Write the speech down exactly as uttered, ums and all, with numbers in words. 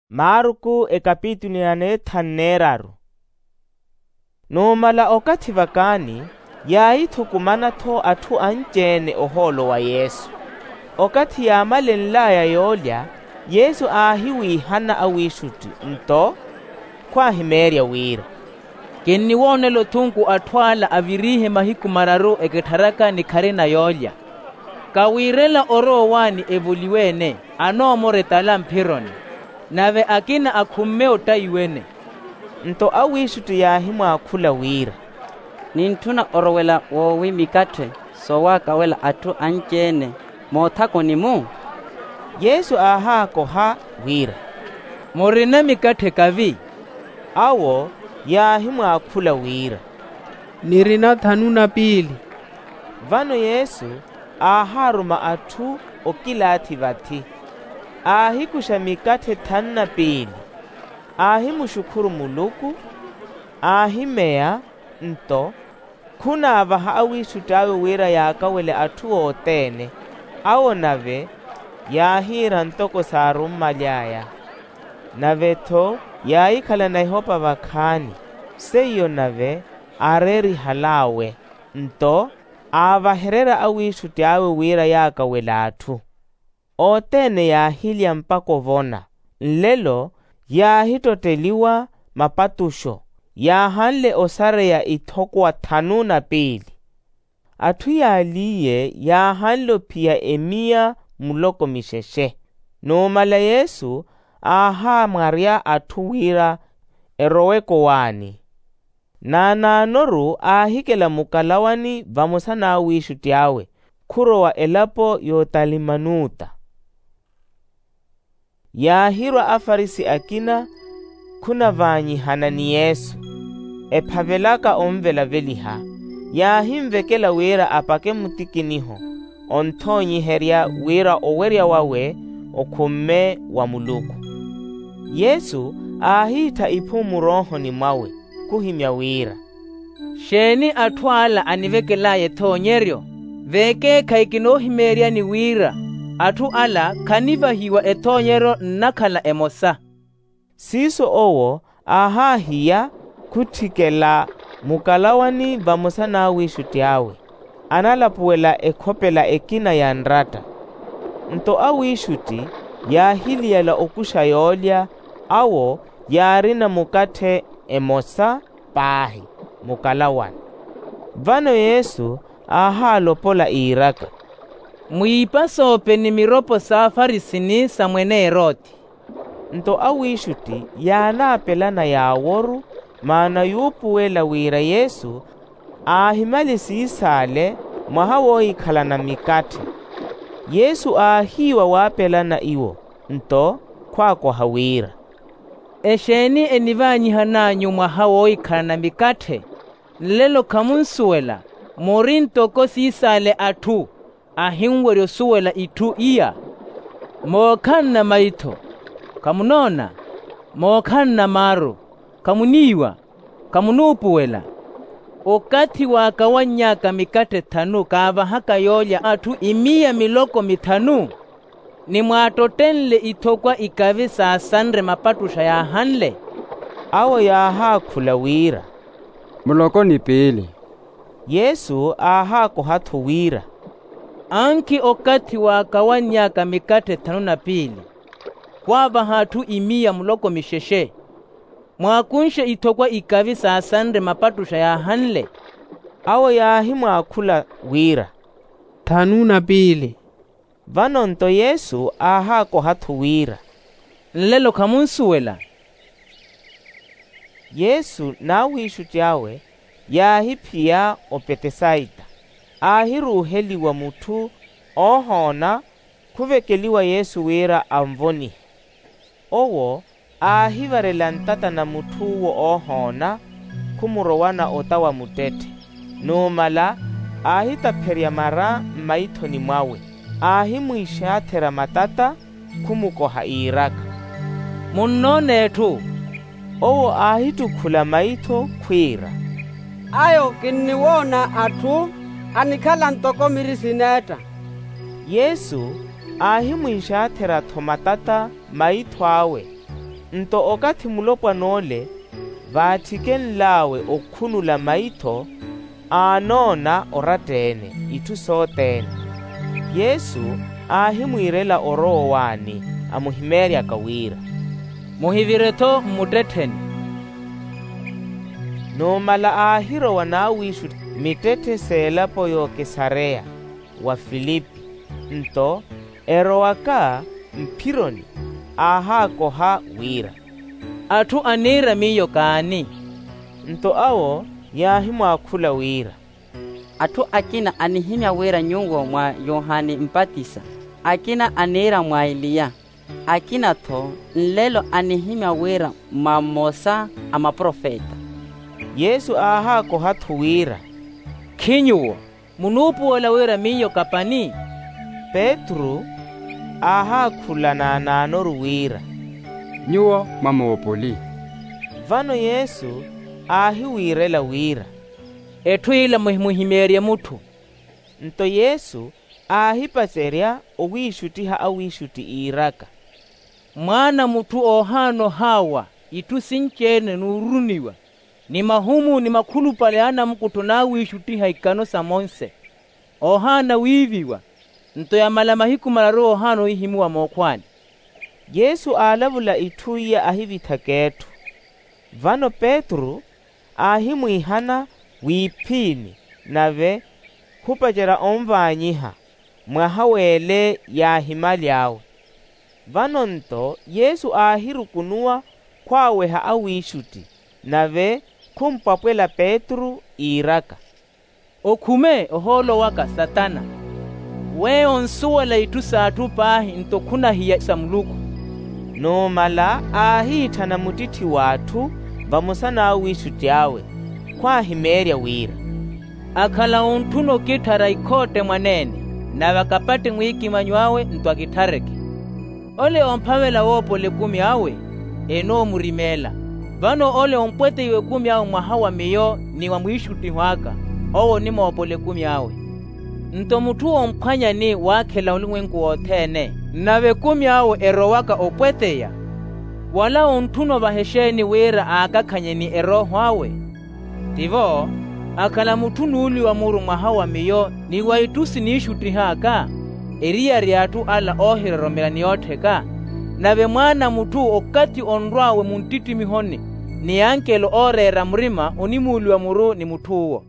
Marku ekapitulu ya neethanu neeraru. Numala okathi vakaani, yaahithukumana-tho atthu anci-ene ohoolo wa yesu. Okathi yaamalenl'aya yoolya, yesu aahiwiihana awiixutti nto khwaahimeerya wira, kinniwoonela othunku atthu ala aviriihe mahiku mararu ekittharaka ni kharina yoolya. Kawiirela orowa owaani evoliwe-ene anoomora etala mphironi, nave akina akhumme ottayiwene. Nto awiixutti yaahimwaakhula wira, nintthuna orowela woowi mikatthe soowaakawela atthu anci-ene moothakoni-mu? Yesu aahaakoha wira, murina mikatthe kavi? Awo yaahimwaakhula wira, nirina thanu na piili. Vano yesu aahaaruma atthu okilaathi vathi, aahikuxa mikatthe thanu na piili, aahimuxukhuru muluku, aahimeya, nto khunaavaha awiixutti awe wira yaakawele atthu othene. Awo nave yaahiira ntoko saarummaly'aya. Nave-tho yaahikhalana ehopa vakhaani, seiyo nave aareerihal'awe. Nto aavahererya awiixutti awe wira yaakawele atthu. Othene yaahilya mpakha ovona. Nlelo yaahittotteliwa mapattuxo, yaahanle osareya ithokowa thanu na piili. Atthu yaaliye yaahanle ophiya emiya muloko mixexe. Numala yesu aahamwarya atthu wira eroweke owaani. Naanaanoru aahikela mukalawani vamosa n'awiixutti awe khurowa elapo y'otalimanuta. Yaahirwa afarisi akina khunavaanyihana ni yesu, ephavelaka onvelaveliha. Yaahinvekela wira apake mutikiniho onthoonyiherya wira owerya wawe okhumme wa muluku. Yesu aahiittha iphumu muroohoni mwawe khuhimya wira, xeeni atthu ala anivekel'aya ethoonyeryo? Veekeekhayi kinoohimeeryani wira atthu ala khanivahiwa ethoonyeryo nnakhala emosa. Siiso owo aahaahiya khutthikela mukalawani vamosa n'awiixutti awe, analapuwela ekhopela ekina ya nratta. Nto awiixutti yaahiliyala okuxa yoolya, awo yaarina mukatthe emosa paahi mukalawani. Vano yesu aahaalopola iiraka, mwiipasoope ni miropo s'afarisi ni sa mwene eroti. Nto awiixutti yaanaapelana yaaworu, maana yuupuwela wira yesu aahimali siisaale mwaha woohikhalana mikatthe. Yesu aahiiwa waapelana iwo, nto khwaakoha wira, exeeni enivaanyihan'anyu mwaha woohikhalana mikatthe? Nlelo khamunsuwela, muri ntoko siisaale atthu ahinwerya osuwela itthu iya. Mookhanna maitho, khamunoona? Mookhanna maaru, khamuniiwa? Khamunuupuwela? Okathi waakawanny'aka mikatthe thanu kaavahaka yoolya atthu imiya miloko mithanu, ni mwaattottenle ithokwa ikavi saasanre mapattuxa yaahanle? Awo yaahaakhula wira, muloko ni piili. Yesu aahaakoha-tho wira, ankhi okathi waakawanny'aka mikatthe thanu na piili, khwaavaha atthu imiya muloko mixexe, mwaakunxe ithokwa ikavi saasanre mapattuxa yaahanle? Awo yaahimwaakhula wira, thanu na piili. Vano nto yesu aahaakoha-tho wira, nlelo khamunsuwela? Yesu n'awiixutti awe yaahiphiya opetesaita. Aahiruuheliwa mutthu oohoona, khuvekeliwa yesu wira anvonihe. Owo aahivarela ntata na mutth'uwo oohoona, khumurowana ota wa muttetthe. Numala aahitapherya mara mmaithoni mwawe, aahimwiixatherya matata, khumukoha iiraka, munnoona etthu? Owo aahittukhula maitho khwiira, ayo kinniwoona atthu anikhala ntoko miri sineetta. Yesu aahimwiixatherya-tho matata maitho awe, Nto okathi mulopwan'ole vaathikenl'awe okhunula maitho, aanoona oratta-ene itthu sothene. Yesu aahimwiirela orowa owaani, amuhimeeryaka wira, muhivire-tho mmuttettheni. Numala aahirowa n'awiixutti mittetthe s'elapo y'okesareya wa filipi. Nto erowaka mphironi, aahaakoha wira, atthu aniira miyo kaani? Nto awo yaahimwaakhula wira, atthu akina anihimya wira nyuwo mwa yohani mpatisa, akina aniira mwa eliya, akina-tho nlelo anihimya wira mwa mmosa a maprofeta. Yesu aahaakoha-tho wira, khi nyuwo munuupuwela wira miyo kapani? Petru aahaakhula naanaanoru wira, nyuwo mwamoopoli. Vano yesu aahiwiirela wira, etthu ila muhimuhimeerye mutthu. Nto yesu aahipacerya owiixuttiha awiixutti iiraka, mwaana a mutthu oohaana ohaawa itthu sinci-ene n'ururuniwa, ni mahumu ni makhulupale a anamukuttho n'awiixuttiha ikano sa monse, oohaana wiiviwa. Nto yamala mahiku mararu oohaana ohihimuwa mookhwaani. Yesu aalavula itthu iya ahivithaka etthu. Vano petru aahimwiihana w'iphini, nave khupacerya onvaanyiha mwaha w'ele yaahimaly'awe. Vano-nto yesu aahirukunuwa khwaaweha awiixutti, nave khumpwapwela petru iiraka, okhume ohoolo waka satana, weyo onsuwela itthu s'atthu paahi nto khunahiya sa muluku. Numala aahiitthana muttitthi w'atthu vamosa n'awiixutti awe, khwaahimeerya wira, akhala ontthuna okitthara ikhootte mwaneene, nave akapatte mwiikimanyo awe nto akitthareke. Ole oomphavela woopola ekumi awe, enoomurimeela. Vano ole ompweteiwa ekumi awe mwaha wa miyo ni wa mwiixuttiho aka, owo onimoopola ekumi awe. Nto mutthu omphwanyani waakhela olumwenku wothene, nave ekumi awe erowaka opweteya, wala ontthuna ovaha exeeni wira aakakhanye ni erooho awe? Tivo, akhala mutthu nuuliwa muru mwaha wa miyo ni wa itthu siniixuttih'aka, eriyari y'atthu ala oohiroromela ni oottheka. Nave mwaana a mutthu okathi onrw'awe muntittimihoni, ni ankelo ooreera murima onimuuliwa muru ni mutth'uwo.